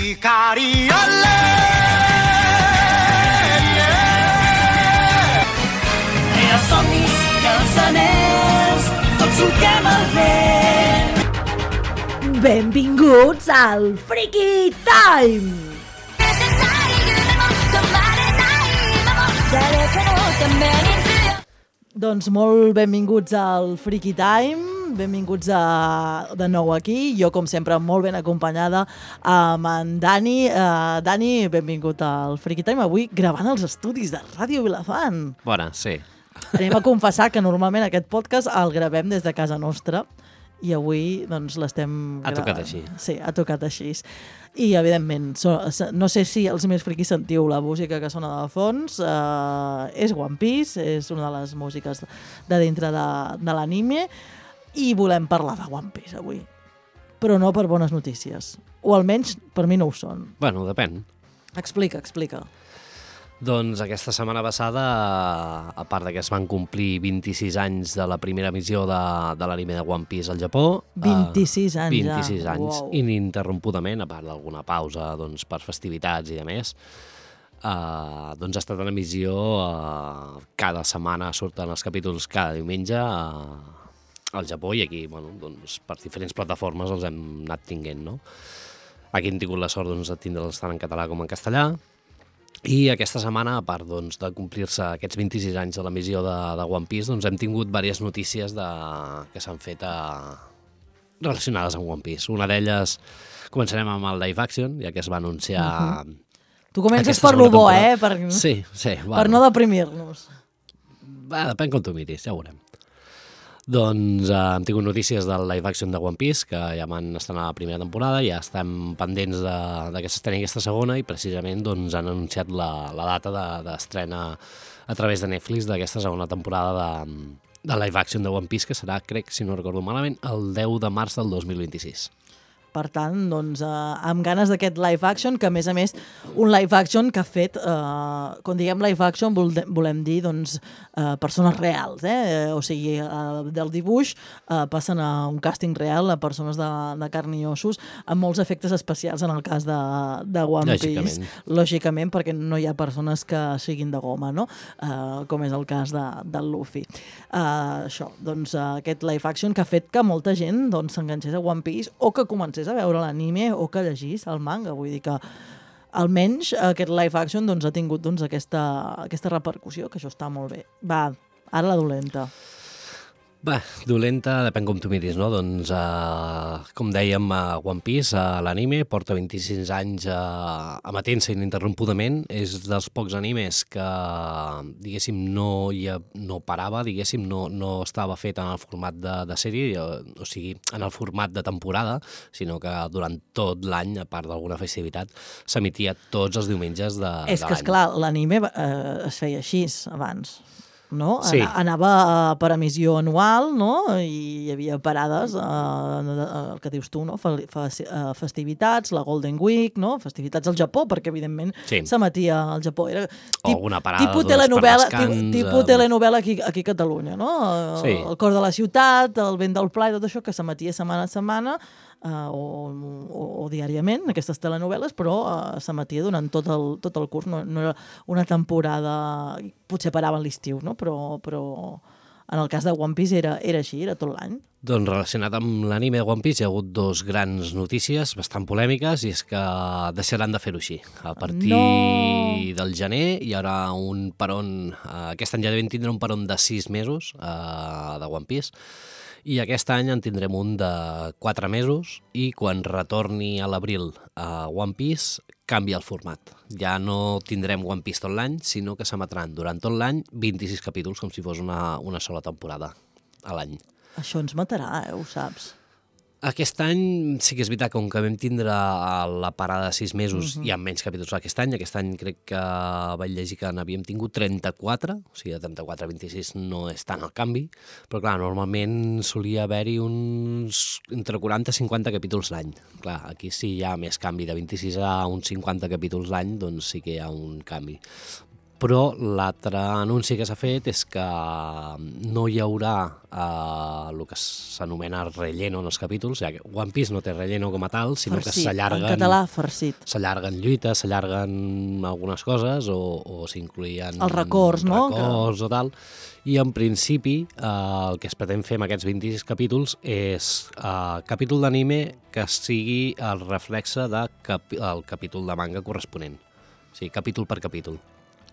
Ikariole! Era somnis, cançoners, tots solquem el vent. Benvinguts al Freaky Time! Doncs molt benvinguts al Freaky Time, benvinguts de nou aquí, jo com sempre molt ben acompanyada amb en Dani. Dani, benvingut al Freaky Time, avui gravant els estudis de Ràdio Vilafant. Bona, sí. Anem a confessar que normalment aquest podcast el gravem des de casa nostra i avui doncs l'estem gravant. Ha tocat així. Sí, ha tocat així. I, evidentment, no sé si els més friquis sentiu la música que sona de fons. És One Piece, és una de les músiques de dintre de l'anime i volem parlar de One Piece avui. Però no per bones notícies. O almenys per mi no ho són. Bueno, depèn. Explica. Doncs aquesta setmana passada, a part que es van complir 26 anys de la primera emissió de l'anime de One Piece al Japó. 26 anys 26 anys, Wow. ininterrompudament, a part d'alguna pausa doncs, per festivitats i demés. Doncs ha estat en emissió, cada setmana surten els capítols cada diumenge al Japó i aquí, bueno, doncs, per diferents plataformes els hem anat tinguent, no? Aquí hem tingut la sort doncs, de tindre'ls tant en català com en castellà. I aquesta setmana, a part doncs, de complir-se aquests 26 anys de l'emissió de One Piece, doncs, hem tingut diverses notícies que s'han fet relacionades amb One Piece. Una d'elles, començarem amb el live action, ja que es va anunciar... Tu comences per lo bo, Sí, bueno. Per no deprimir-nos. Depèn com tu miris, ja ho veurem. Doncs hem tingut notícies del live action de One Piece, que ja van estrenar la primera temporada, ja estem pendents de que s'estreni aquesta segona i precisament doncs, han anunciat la data d'estrena a través de Netflix d'aquesta segona temporada de live action de One Piece, que serà, crec, si no recordo malament, el 10 de març del 2026. Per tant, doncs, amb ganes d'aquest live action, que a més, un live action que ha fet, quan diguem live action volem dir doncs, persones reals, o sigui, del dibuix passen a un càsting real a persones de carn i ossos, amb molts efectes especials en el cas de One Piece. Lògicament, perquè no hi ha persones que siguin de goma, no? Com és el cas del Luffy. Això, doncs, aquest live action que ha fet que molta gent s'enganxés a One Piece o que comencés a veure l'anime o que llegís el manga. Vull dir que almenys aquest live action ha tingut aquesta repercussió, que això està molt bé. Va, ara la dolenta. Dolenta, depèn com tu miris, no? Doncs, com dèiem, One Piece, l'anime, porta 26 anys emetent-se ininterrompudament. És dels pocs animes que, diguéssim, no parava, diguéssim, no estava fet en el format de sèrie, o sigui, en el format de temporada, sinó que durant tot l'any, a part d'alguna festivitat, s'emetia tots els diumenges de l'any. És que, esclar, l'anime es feia així abans. No? Sí. Anava per emissió anual, no? I hi havia parades, el que dius tu, no? Festivitats, la Golden Week, no? Festivitats al Japó, perquè evidentment s'emetia al Japó. Era alguna parada tipus telenovela aquí a Catalunya, no? Sí. El cor de la ciutat, el vent del pla i tot això, que s'emetia setmana a setmana, o diàriament, aquestes telenovel·les, però s'emetia durant tot el curs, no era una temporada, potser parava a l'estiu, no? Però en el cas de One Piece era així, era tot l'any. Doncs relacionat amb l'anime de One Piece hi ha hagut dos grans notícies bastant polèmiques, i és que deixaran de fer-ho així. A partir del gener hi haurà un peron, aquest any ja devem tindre un peron de 6 mesos de One Piece, i aquest any en tindrem un de 4 mesos i quan retorni a l'abril a One Piece canvia el format. Ja no tindrem One Piece tot l'any, sinó que s'emetran durant tot l'any 26 capítols, com si fos una sola temporada a l'any. Això ens matarà, ho saps. Aquest any sí que és veritat, com que vam tindre la parada de 6 mesos i amb menys capítols aquest any crec que vaig llegir que n'havíem tingut 34, o sigui, de 34 a 26 no és tant el canvi, però clar, normalment solia haver-hi uns entre 40 i 50 capítols l'any. Clar, aquí sí hi ha més canvi, de 26 a uns 50 capítols l'any, doncs sí que hi ha un canvi. Però l'altre anunci que s'ha fet és que no hi haurà el que s'anomena relleno en els capítols, ja que One Piece no té relleno com a tal, sinó farcit, que s'allarguen... en català, farcit. S'allarguen lluites, s'allarguen algunes coses o s'incloïen... Els records, no? Records o tal. I en principi el que es pretén fer amb aquests 26 capítols és capítol d'anime que sigui el reflexe del capítol de manga corresponent. O sigui, capítol per capítol.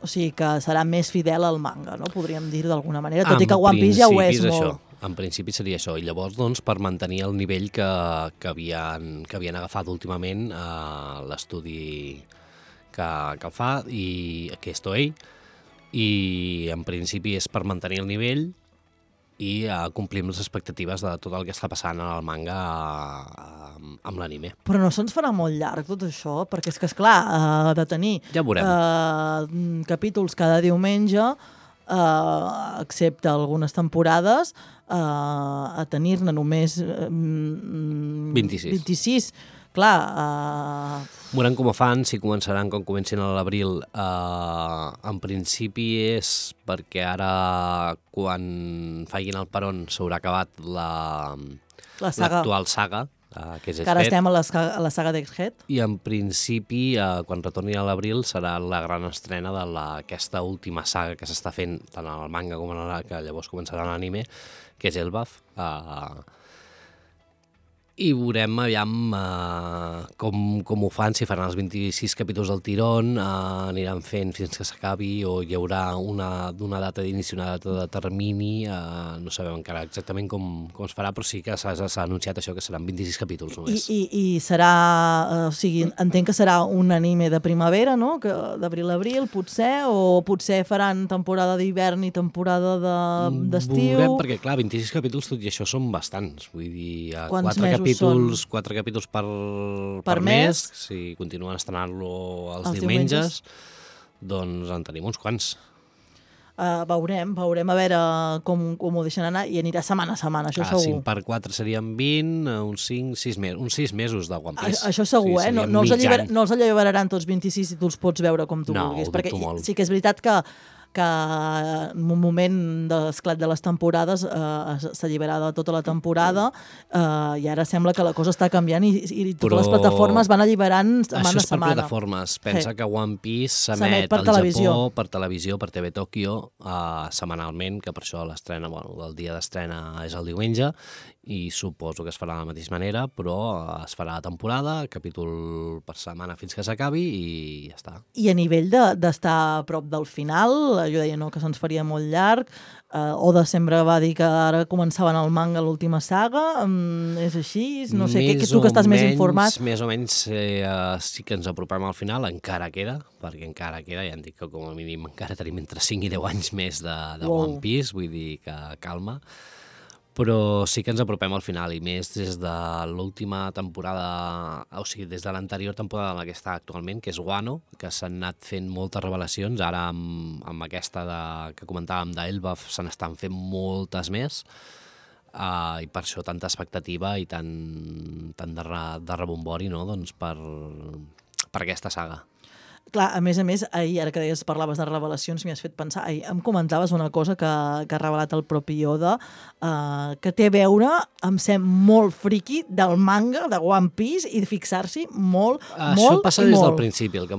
O sigui que serà més fidel al manga, no? Podríem dir d'alguna manera, tot i que One Piece ja ho és molt. Això. En principi seria això. I llavors, doncs, per mantenir el nivell que havien agafat últimament l'estudi que fa, que és Toei, i en principi és per mantenir el nivell i complir les expectatives de tot el que està passant en el manga amb l'anime. Però no se'ns farà molt llarg tot això? Perquè és que, esclar, de tenir ja capítols cada diumenge, excepte algunes temporades, a tenir-ne només 26. Clar... Veurem com ho fan, si començaran com comencin a l'abril. En principi és perquè ara, quan facin el peron, s'haurà acabat l'actual saga, que és Egghead. Que ara estem a la saga d'Egghead. I en principi, quan retorni a l'abril, serà la gran estrena d'aquesta última saga que s'està fent, tant al manga com que llavors començarà l'anime, que és Elbaf. I veurem aviam com ho fan, si faran els 26 capítols del tirón, aniran fent fins que s'acabi o hi haurà una data d'inici, una data de termini, no sabem encara exactament com es farà, però sí que s'ha anunciat això, que seran 26 capítols només. I serà, o sigui, entenc que serà un anime de primavera, no? D'abril a abril, potser, o potser faran temporada d'hivern i temporada d'estiu. Veurem, perquè clar, 26 capítols tot i això són bastants, vull dir, 4 capítols per mes, si continuen estrenant-lo els diumenges, doncs en tenim uns quants. Veurem a veure com ho deixen anar i anirà setmana a setmana, això segur. 5 per 4 serien 20, uns 6 mesos de One Piece. Això segur, sí, no els alliberaran tots 26 si tu els pots veure com tu vulguis, perquè sí que és veritat que en un moment d'esclat de les temporades s'alliberava tota la temporada i ara sembla que la cosa està canviant i totes les plataformes van alliberant setmana a setmana. Això és per plataformes. Pensa que One Piece s'emet al Japó, per televisió, per TV Tòquio, setmanalment, que per això l'estrena, el dia d'estrena és el diumenge, i suposo que es farà de la mateixa manera, però es farà la temporada, capítol per setmana fins que s'acabi i ja està. I a nivell d'estar a prop del final, jo deia que se'ns faria molt llarg, Oda sempre va dir que ara començaven el manga l'última saga, és així? No sé, tu que estàs més informat. Més o menys sí que ens apropem al final, encara queda, perquè encara queda, ja em dic que com a mínim encara tenim entre 5 i 10 anys més de One Piece, vull dir que calma. Però sí que ens apropem al final, i més des de l'última temporada, o sigui, des de l'anterior temporada en la que està actualment, que és Wano, que s'han anat fent moltes revelacions, ara amb aquesta que comentàvem d'Elbaf se n'estan fent moltes més, i per això tanta expectativa i tant de rebombori, no? Doncs per aquesta saga. Clar, a més, ahir, ara que deies, parlaves de revelacions, m'hi has fet pensar, ahir em comentaves una cosa que ha revelat el propi Oda, que té a veure, em sembla, molt friqui del manga de One Piece i de fixar-s'hi molt, això passa des del principi, el que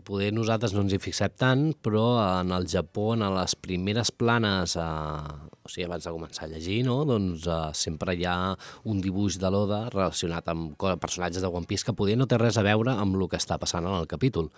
poder nosaltres no ens hi fixem tant, però en el Japó, en les primeres planes, o sigui, abans de començar a llegir, no? Doncs sempre hi ha un dibuix de l'Oda relacionat amb personatges de One Piece que poder no té res a veure amb el que està passant en el capítol.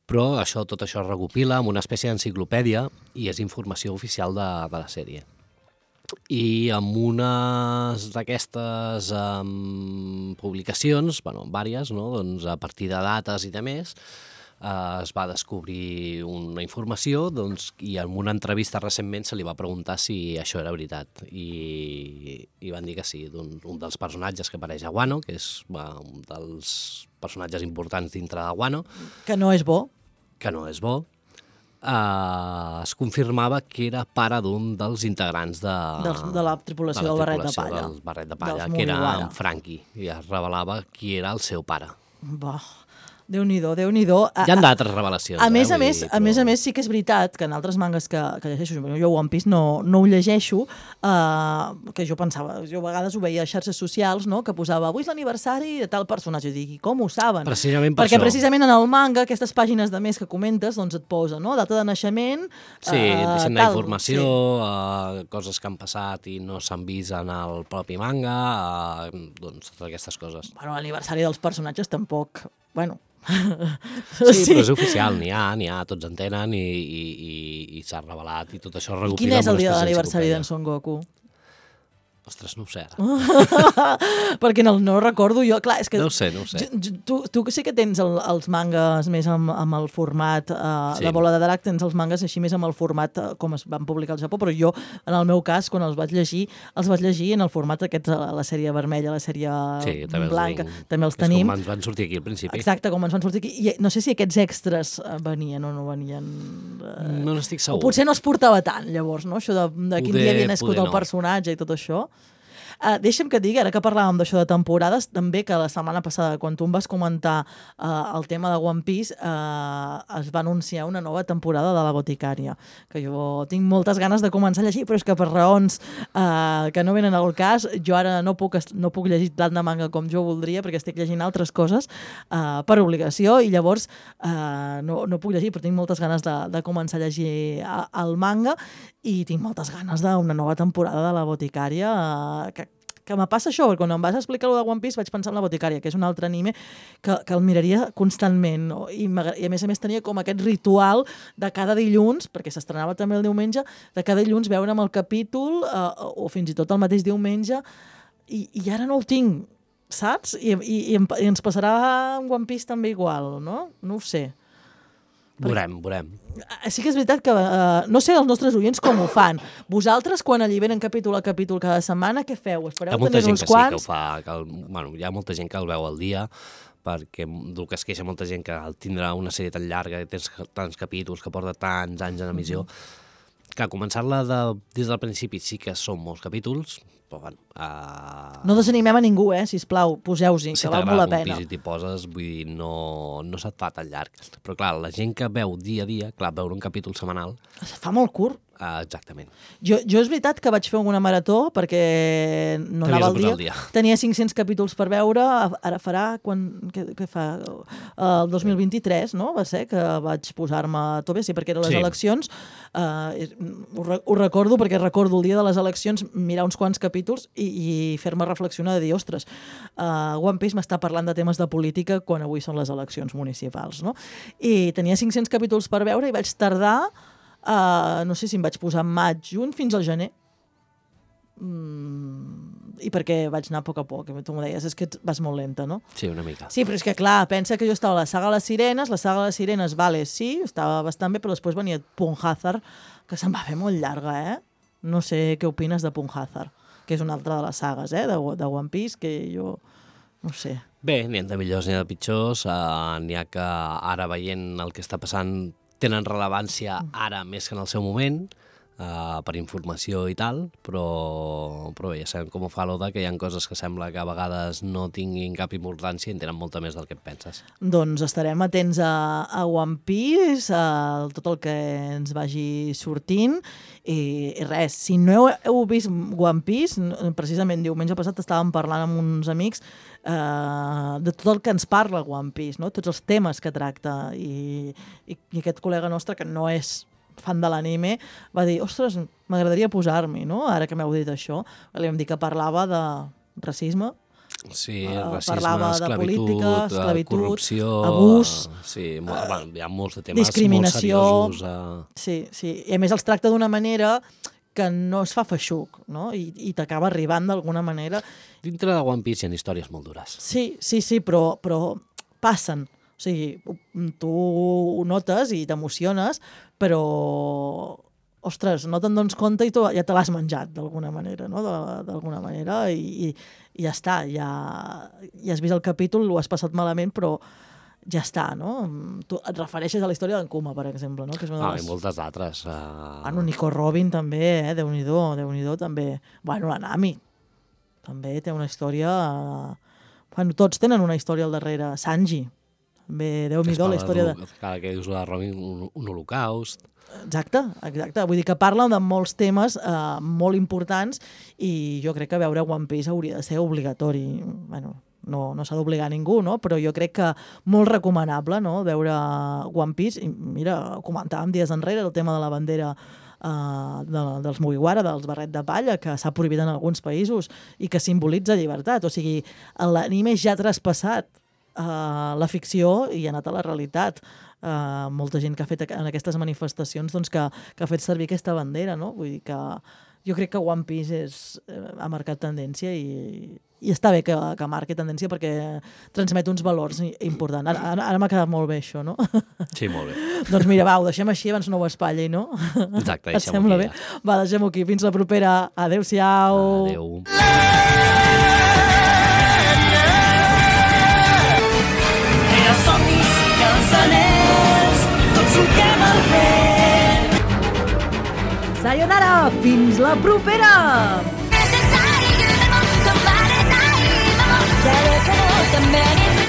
Però tot això es recopila amb una espècie d'enciclopèdia i és informació oficial de la sèrie. I amb unes d'aquestes publicacions, vàries, no? Doncs a partir de dates i de més, es va descobrir una informació i en una entrevista recentment se li va preguntar si això era veritat i van dir que sí, un dels personatges que apareix a Wano, que és un dels personatges importants dintre de Wano, que no és bo, es confirmava que era pare d'un dels integrants de la tripulació del Barret de Palla, que era en Franky, i es revelava qui era el seu pare. Déu-n'hi-do, Déu-n'hi-do. Hi ha d'altres revelacions. A més, però... a més, sí que és veritat que en altres mangas que llegeixo, jo One Piece no ho llegeixo, que jo pensava, jo a vegades ho veia a xarxes socials, no?, que posava avui és l'aniversari de tal personatge, i dic, i com ho saben? Precisament per Perquè això. precisament en el manga, aquestes pàgines de més que comentes, doncs et posa, no?, data de naixement... Sí, deixen anar informació, coses que han passat i no s'han vist en el propi manga, doncs totes aquestes coses. Bueno, l'aniversari dels personatges tampoc... Bueno... Sí, però és oficial, n'hi ha, tots en tenen i s'ha revelat i tot això recopila. Quin és el dia de l'aniversari d'en Son Goku? Ostres, no ho sé ara. Perquè no recordo jo, clar, és que... No ho sé. Tu sí que tens els mangas més amb el format Sí. de Bola de Drac, tens els mangas així més amb el format com es van publicar al Japó, però jo, en el meu cas, quan els vaig llegir en el format aquests, la sèrie vermella, la sèrie blanca, també els tenim. És com ens van sortir aquí al principi. Exacte, com ens van sortir aquí. I no sé si aquests extras venien o no venien... No n'estic segur. O potser no es portava tant, llavors, no? Això de quin dia havia nascut el no. personatge i tot això. Deixa'm que et digui, ara que parlàvem d'això de temporades, també que la setmana passada, quan tu em vas comentar el tema de One Piece, es va anunciar una nova temporada de La Boticària, que jo tinc moltes ganes de començar a llegir, però és que per raons que no venen al cas, jo ara no puc llegir tant de manga com jo voldria, perquè estic llegint altres coses per obligació, i llavors no puc llegir, però tinc moltes ganes de començar a llegir el manga, i tinc moltes ganes d'una nova temporada de La Boticària, que me passa això, perquè quan em vas explicar lo de One Piece vaig pensar en La Boticària, que és un altre anime que el miraria constantment, no? I a més tenia com aquest ritual de cada dilluns, perquè s'estrenava també el diumenge, de cada dilluns veure'm el capítol o fins i tot el mateix diumenge, i ara no ho tinc, saps? I ens passarà amb One Piece també igual, no? No ho sé. Veurem. Sí que és veritat que no sé els nostres oients com ho fan. Vosaltres, quan alliberen capítol a capítol cada setmana, què feu? Espereu també uns quants? Hi ha molta gent que el veu al dia, perquè el que es queixa molta gent que al tindre una sèrie tan llarga i tens tants capítols que porta tants anys en emissió, que començar-la des del principi sí que són molts capítols, però bueno... No desanimem a ningú, sisplau, poseu-s'hi, que val molt la pena. Si t'agrada un pis i t'hi poses, vull dir, no se't fa tan llarg. Però clar, la gent que veu dia a dia, clar, veure un capítol setmanal... Es fa molt curt. Exactament. Jo és veritat que vaig fer alguna marató perquè no anava al dia. Tenia 500 capítols per veure, ara farà què fa? El 2023, no? Va ser que vaig posar-me a tope, sí, perquè eren les eleccions. Ho recordo perquè recordo el dia de les eleccions mirar uns quants capítols i fer-me reflexionar de dir, ostres, One Piece m'està parlant de temes de política quan avui són les eleccions municipals, no? I tenia 500 capítols per veure i vaig tardar no sé si em vaig posar en maig, juny, fins al gener. I perquè vaig anar a poc a poc, tu m'ho deies, és que vas molt lenta, no? Sí, una mica. Sí, però és que clar, pensa que jo estava a la saga de les Sirenes, vale, sí, estava bastant bé, però després venia Punhazard, que se'm va fer molt llarga, No sé què opines de Punhazard, que és una altra de les sagues, de One Piece, que jo no sé. Bé, n'hi ha de millors, n'hi ha de pitjors, n'hi ha que ara veient el que està passant tenen rellevància ara més que en el seu moment, per informació i tal, però bé, ja sabem com ho fa l'Oda, que hi ha coses que sembla que a vegades no tinguin cap importància i en tenen molta més del que et penses. Doncs estarem atents a One Piece, a tot el que ens vagi sortint, i res, si no heu vist One Piece, precisament diumenge passat estàvem parlant amb uns amics de tot el que ens parla One Piece, no? Tots els temes que tracta, i aquest col·lega nostre, que no és fan de l'anime, va dir, ostres, m'agradaria posar-m'hi, no? Ara que m'heu dit això. Li vam dir que parlava de racisme, sí, racisme, parlava de política, esclavitud, corrupció, abús, sí, hi ha molts de temes discriminació, molt seriosos. Sí, i a més els tracta d'una manera que no es fa feixuc, no? I t'acaba arribant d'alguna manera. Dintre de One Piece hi ha històries molt dures. Sí, però passen. O sigui, tu ho notes i t'emociones, però, ostres, no te'n dones compte i tu ja te l'has menjat d'alguna manera, no? D'alguna manera, i ja està, ja has vist el capítol, ho has passat malament, però ja està, no? Tu et refereixes a la història d'en Kuma, per exemple, no? Que és una de les... I moltes altres. Nico Robin també, Déu-n'hi-do també. Bueno, la Nami també té una història... Bueno, tots tenen una història al darrere. Sanji Bé, Déu-n'hi-do, la història de... Cada que dius la Robin, un holocaust. Exacte. Vull dir que parla de molts temes molt importants i jo crec que veure One Piece hauria de ser obligatori. Bueno, no s'ha d'obligar a ningú, no? Però jo crec que molt recomanable, no?, veure One Piece. I mira, comentàvem dies enrere el tema de la bandera dels Mugiwara, dels barret de palla, que s'ha prohibit en alguns països i que simbolitza llibertat. O sigui, l'anime ja ha traspassat la ficció i ha anat a la realitat. Molta gent que ha fet en aquestes manifestacions doncs, que ha fet servir aquesta bandera, no? Vull dir que jo crec que One Piece ha marcat tendència i està bé que marqui tendència perquè transmet uns valors importants. Ara m'ha quedat molt bé això, no? Sí, molt bé. Doncs mira, va, ho deixem així, abans no ho espatlli, no? Exacte, deixem-ho aquí. Et sembla bé? Va, deixem-ho aquí. Fins la propera. Adéu-siau. Adéu. Somnis, cançoners, tots truquem al vent. Sayonara, fins la propera! 誰かのために